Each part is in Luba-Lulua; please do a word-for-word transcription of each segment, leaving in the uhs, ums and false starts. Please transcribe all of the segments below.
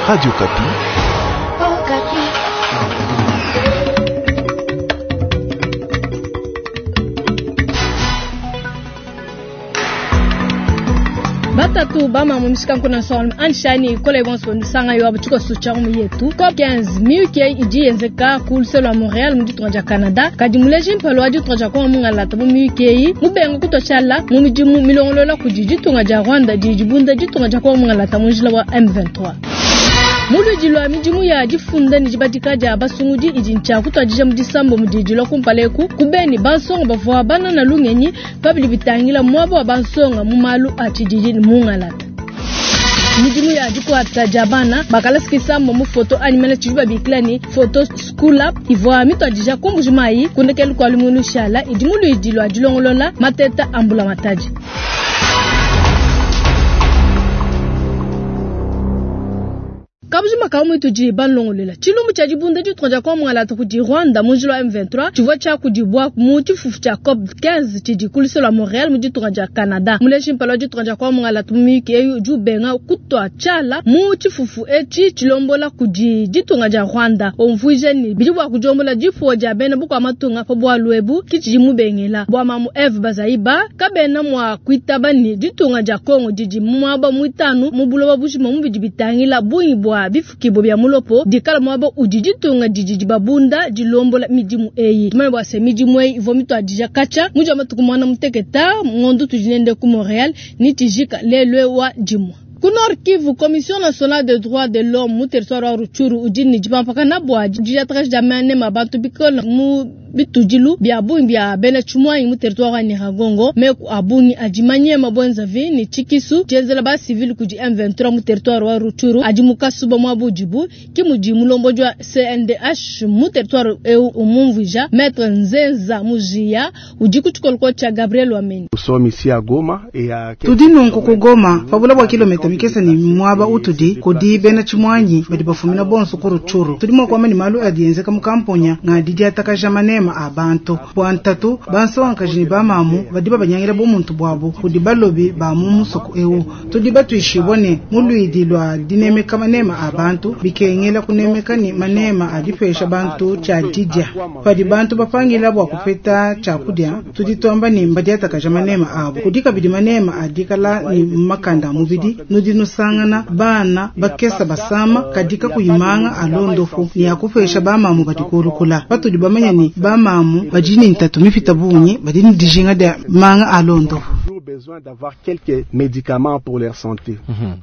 Radio Okapi. Batatu bama mu mishikanku na nsongalume anshani ikole bonso ndisanga yo abuchiko sucha mu yetu COP quinze miyuki idi yenzeka ku luse lwa Montreal mu ditunga dia Canada kadi muleji mpalo wa ditunga dia Kongo mungalata mu miyuki eyi mubenga kutoshala mu midimu milongolola kudi ditunga dia Rwanda didi dibunda ditunga dia Kongo mungalata mu njila wa M vingt-trois. Muludi lwa midimu ya difunda ne dibadika dia basungudi idi ntshia kutuadija mu disambo mu didi lwa kumpala eku kubeni bansonga bavua banana lungenyi pabidi bitangila muaba wa bansonga mu malu a tshididi ne mungalata. Midimu ya dikuata dia bana bakalasikisa mu photo animale tshidi babikila ni photo school up ivua mituadija ku Mbuji-Mayi kundekelu kua lumingu shala idi muludi lwa dilongolola mateta ambula matadi. Kabujima ka mwitu ji banlongolela. Chilumbu cha dibunda ditunga dia Kongo mungalata kudi Rwanda mu njila wa M vingt-trois, tshivua tshia kudibwa mu tshifufu tshia COP quinze tshidi ku luse lwa Montreal mu ditunga dia Canada. Muleji mpala wa ditunga dia Kongo mungalata mu miyuki eyi udi ubenga kutua tshiala mu tshifufu etshi tshilombola kudi ditunga dia Rwanda. Umvuija ni bidi bua kudiombola difuwa dia bena bukua matunga pa bualu ebu ki tshidi mubengela. Bua mamu Eve Bazaiba kabena mua kuitaba ni ditunga dia Kongo didi muaba muitanu mu buloba bujima mu bidi bitangila bungi bua bifukibo bya mulopo dikala mwabo udi ditunga didi dibabunda dilombola midimu eyi. Tumanye bua se midimu eyi ivua mituadija katshia muji wa matuku mwana muteketa ngondo tudi nende ku Montreal ni tijika lelwe wa dimua. Ku Nord Kivu, Commission nationale des droits de l'homme mu territoire wa Rutshuru udi ne dipampakana bua didiatakasha dia manema bantu bikole mu bitudilu bya bungi bya bena tshimuanyi mu territoire wa Nyiragongo. Meku a bungi adi manyema bwenzavi ne tshikisu tshienzela ba civil kudi M vingt-trois mu territoire wa Rutshuru adi mu kasuba mua budibu ki mudi mulombodi wa C N D H mu territoire eu umumvuija Maître Nzenza Mujia udi ku tshikoloko tshia Gabriel Wameni. Nous sommes ici à Goma et à Tudi nunku ku Goma pabula bua kilomita mikese ni mwaba utudi kudi bena tshimuanyi badi bafumina bonso ku Rutshuru. Tudi mua kuamba ni malu adi enzeka mu kamponya nga didiatakaja manema a bantu bua ntatu bansongakaji ne bamamu badi babanyangila bumuntu buabu kudi balobi ba mu musoko eu. Tudi batuishibua ne mu luidi lua dinemeka manema a bantu bikengela kunemeka ni manema adipesha bantu tshia didia. Padi bantu bapangila bua kupeta tshiakudia tudi tuamba ni mbadiatakaja manema abo. Kudi kabidi manema adikala ni makanda a mubidi nudi nusangana bana bakesa basama kadika kuyimanga alondofu ni akupesha bamamu badi kurukula. Patudi bamanya ni bamamu badi ni ntatu mipita bungi badi ni dijinga dia manga alondofu. Toujours besoin d'avoir quelques médicaments pour leur santé. Mm-hmm.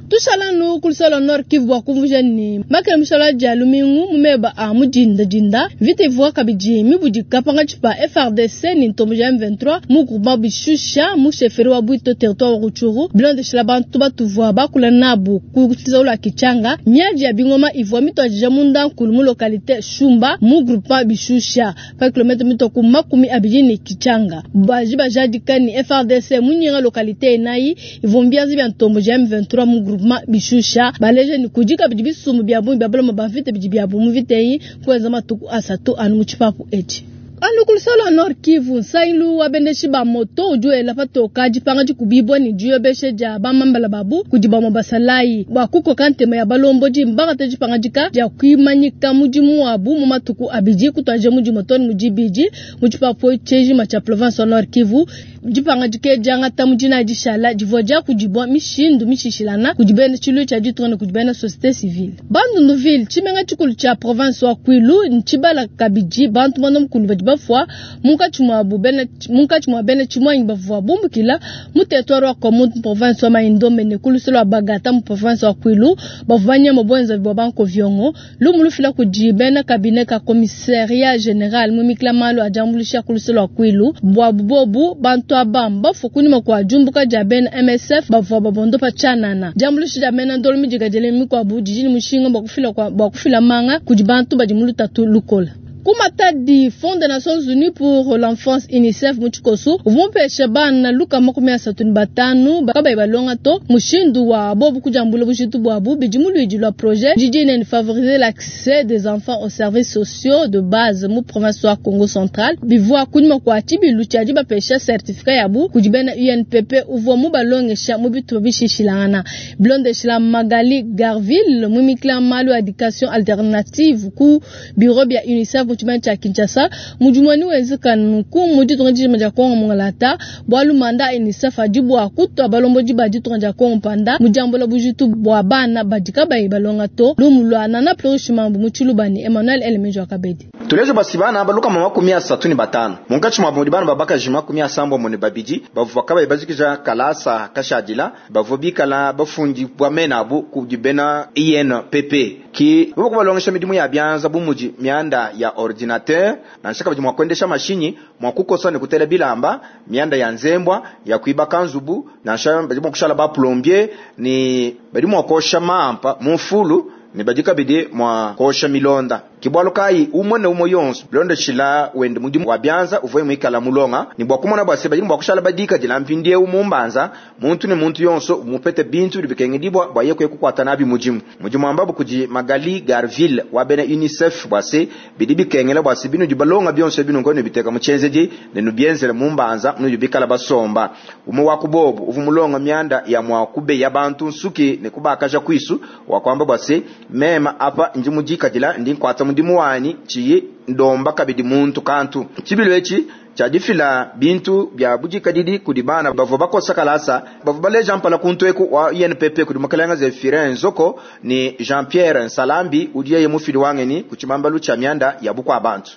Tushala nu kulusala Nord Kivu bua kumvuja ni makele mushala dia lumingu mumeba a mudinda dinda vita ivua kabidi mibudika pangatshi pa F R D C ni ntombo ja M vingt-trois mu groupement Bishusha mu chefferie wa Bwito territoire wa Rutshuru bilondeshela bantu batuvua bakula nabu ku la Kichanga miadi ya bingoma ivua mituadija munda nkulu mu localité Shumba mu groupement Bishusha pa kilomètre mitoku makumi abidi ni Kichanga baji bajadika ni F R D C munyinga localité enayi ivua mbianzi bya ntombo ja M vingt-trois mu groupement Bishusha baleje ni kujika bidi bisumu bya bungi bya buloma bavite bidi bya bumu viteyi kuenza matuku asatu anu mu tshipapu etshi. Anu kulusala Nord Kivu nsailu wa bendeshi ba moto udi wela patoka dipanga dikubibwa ni diyobeshe dia bamambala babu kudi bamwe basalayi bua kukoka ntema ya balombodi mbangate dipanga dika dia kuimanyika mudimu wabu mu matuku abidi kutuadija mudi motoni mu dibidi mu tshipapu tshejima tshia province wa Nord Kivu. Dipanga dike diangata mu dina dishala divua dia kudibwa mishindu mishishilana kudi bena tshilu tshia ditunga ne kudi bena société civile. Bandundu-ville tshimenga tshikulu tshia province wa Kwilu ntshibala kabidi bantu bana mukulu badi bafua munkatshi mua bu bena munkatshi mua bena tshimuanyi bavua bumbukila mu territoire wa Kwamouth province wa Mai-Ndombe ne ku lusolo wa Bagata mu province wa Kwilu bavua banyama bwenza bua banko viongo lumu lufila kudi bena cabinet ka commissariat général mu mikila malu a diambuluisha ku lusolo wa Kwilu bua bubobu bantu aba bafu kunyima kua diumbuka dia bena M S F bavua babondopa tshianana. Diambuluisha dia bena ndolo midika diele mikuabu didi ne mushinga bua kufila kwa, bua kufila manga kudi bantu badi mu lutatu lukola. Ku Matadi, Fonds des Nations Unies pour l'enfance UNICEF mu tshikosu uvua mupesha bana lukama makumi asatu ne batanu kabayi balonga to mushindu wa bobu kudiambula bujitu buabu bidi mu luidi lua projet didi ne favoriser l'accès des enfants aux services sociaux de base mu province wa Congo central bivua kunyima kua tshibilu tshia dibapesha certificat yabu kudi bena UNPP uvua mubalongesha mu bitupa bishishilangana bilondeshila Magali Garville muimikila malu a education alternative ku bureau bia UNICEF mu tshimana tshia Kinshasa mudimu wenzeka nunku mu ditunga dijima dia Kongo mungalata bualu manda a UNICEF adi bua kutua balombodi ba ditunga dia Kongo mpanda mu diambula bujitu bua bana badi kabayi balonga to lumu lua Nana Flourish Mambu mu Tshilubani Emmanuel Elemejo Akabedi tulejo basi bana baluka makumi asatu ne batano munkatshi mua bana babakaji makumi asambombo ne babidi bavua kabayi bazikija kalasa kashadila bavua bikala bafundi bua mena abu kudi bena INPP ki bavua kubalongesha midimu ya bianza bu mudi mianda ya ordinateur nansha kabidi mua kuendesha mashinyi mua kukosa ne kutela bilamba mianda ya nzembwa ya kuibaka nzubu nansha badi mua kushala ba plombier ni badi mua kosha mampa mu mfulu ne badi kabidi mua kosha milonda kibwalu kayi umwe ne umwe yonso bilondeshila wende mudimu wa bianza uvue muikala mulonga ni bua kumona bua se badi bua kushala badika dila mpindiewu mumbanza muntu ne muntu yonso mupete bintu bidi bikengedibwa bua ye kuye kukuata nabi mudimu mudimu ambabu kudi Magali Garville wa bena UNICEF bua se bidi bikengela bua se binu balonga bionso binu ngono biteka mu chenzedi ne nubienzele mumbanza nudi bikala basomba umwe wa kubobu uvu mulonga mianda ya mwa kubeya bantu nsuki ne kubakaja kwisu wa kwamba bua se mema apa ndi mudikadila ndi nkwata mudimu wanyi chiyi ndomba kabidi muntu kantu tshibilu etshi tshia bintu bia budikadidi kudi bana bavua bakosa kalasa bavua baleja mpala kuntu eku wa INPP kudi mukalenga Zephirin Nzoko ni Jean Pierre Nsalambi udiye mufili wangeni ku tshibambalu tshia mianda ya bukua bantu.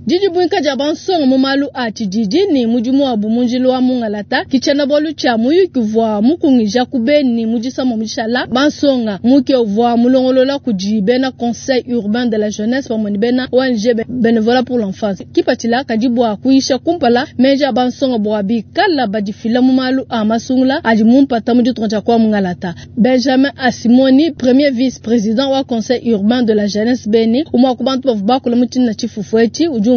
Didi buinka dia bansonga mu malu a tshididi ni mudimu wabu mu njila wa mungalata kitshena bualu tshia muyuki uvua mukungija ku Beni mu disama mu bansonga muke uvua mulongolola kudi bena conseil urbain de la jeunesse pamue ne bena ONG bénévolat pour l'enfance kipatshila kadi bua kuyisha kumpala meji a bansonga bua bikala badifila mu malu a masungula adi mumpata mu ditunga dia kwa mungalata. Benjamin Asimoni premier vice président wa conseil urbain de la jeunesse Beni umwa ku bantu bavua bakula mu tshina tshifufu etshi udi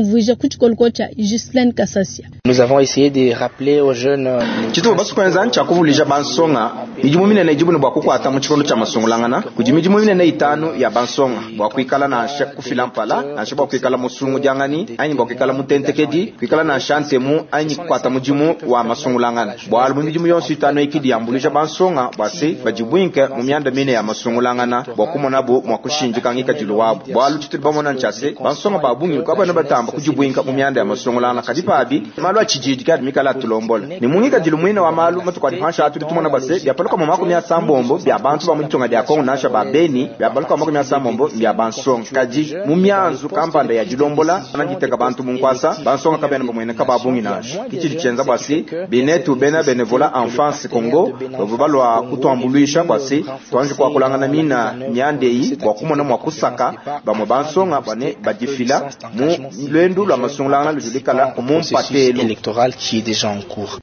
Nous avons essayé de rappeler aux jeunes Chitu basu kwenza ncha kuvulija bansonga midimu minene ijibu ne bua kukwata mu tshikondo tshia masungulangana kudi midimu minene itanu ya bansonga bua kuikala nansha kufila mpala nansha bua kuikala musungu diangani anyi bua kuikala mutentekedi kuikala nansha ntemu anyi kukwata mudimu wa masungulangana bualu mu midimu yonso itanu ikidi yambuluja bansonga bua se badibwinke mu mianda mine ya masungulangana bua kumonabu mua kushinjika ngikadilu wabu bualu tshitudi bamona ntshia se bansonga ba bungi kabana batamba kujibwinka mu mianda ya masungulangana kadi pabi malu atshididi kadi mikala atulombola ni mungikadilu mwine wa malu matuku adi pansha atudi tumona bua se biapaluka mu makumi asambombo bia bantu ba mu ditunga dia Kongo nansha ba Beni biapaluka mu makumi asambombo bia bansonga kadi mu mianzu kampanda ya dilombola anaditeka bantu mu nkwasa bansonga kabena bamwene kababungi nansha kitshidi tshienza bua se binetu bena bénévolat enfance Congo bavua balua kutuambuluisha bua se tuanji kuakulangana mina miandeyi bua kumona mua kusaka bamue bansonga bane badifila mu lwendu lwa masungulangana lujulikala mu mpatelo électoral qui est déjà en cours.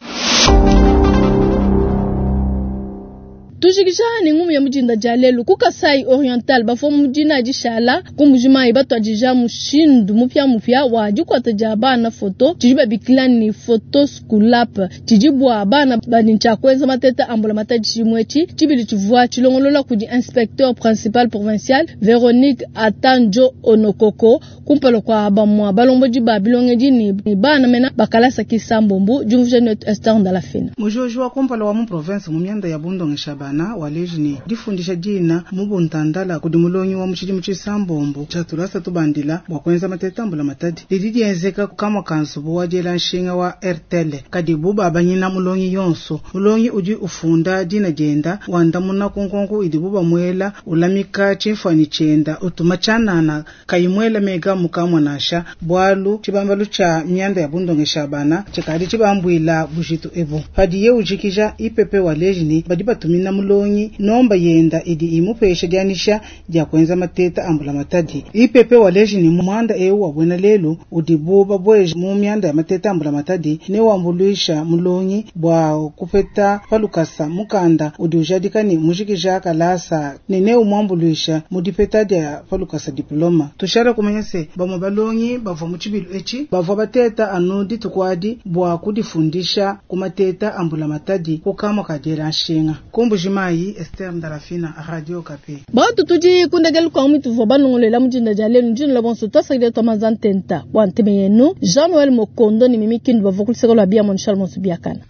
Tujikija ni ngumu ya mujinda dia lelu ku Kasai Oriental bafo mujina dishala ku mujima ibatwa mushindu mupya mupya wa dikwata dia bana foto tshidi babikila ni photo school app tshidi bua bana badi ntshia kuenza mateta ambula matadi tshimue etshi tshibidi tshivua tshilongolola kudi inspecteur principal provincial Veronique Atanjo Onokoko kumpala kua bamua balombodi ba bilongedi ni bana mena bakalasa kisambombu diumvuija netu Esther Ndalafina mujojo wa kumpala wa mu province mu mianda ya bundongesha bana waleji ni difundisha dina mu buntandala kudi mulongi wa mutshidimu tshisambombo tshiatulasa tubandila bua kuenza matetambula matadi lidi dienzeka kamwa kanzubu wa diela nshinga wa RTL kadi bu babanyina mulongi yonso mulongi udi ufunda dina dienda wandamuna kunkonko idi bu bamuela ulamika tshimfuanyi tshienda utuma tshianana kayimuela mega mukamwa nansha bualu tshibambalu tshia mianda ya bundongesha bana tshikadi tshibambuila bujitu ebu padiye ujikija ipepe waleji ni badi batumina mulongi nomba yenda idi imupesha dianyisha dia kuenza mateta a mbulamatadi. I P P waleji ne muanda eu wa buena lelu udibu babueja mu mianda ya mateta a mbulamatadi ne wambuluisha mulongi bua kupeta palukasa mukanda udi ujadika ne mujikija kalasa ne ne umuambuluisha mu dipeta dia palukasa diploma. Tushale kumanya se bamwe balongi bavua mu tshibilu etshi bavua bateta anu dituku adi bua kudifundisha ku mateta a mbulamatadi ku kamua ka diela nshinga. Ku Mbujimayi, Esther Ndalafina, Radio Okapi. Bantu tudi kundekelu kwa mwitu vua banongolela mujinda dia lelu njinula bonso twasakidila twamanza ntenta bua nteme yenu Jean Noël Mokondo ni Mimi Kindu bavua kuluseka lua bia Charles Monsu biakana.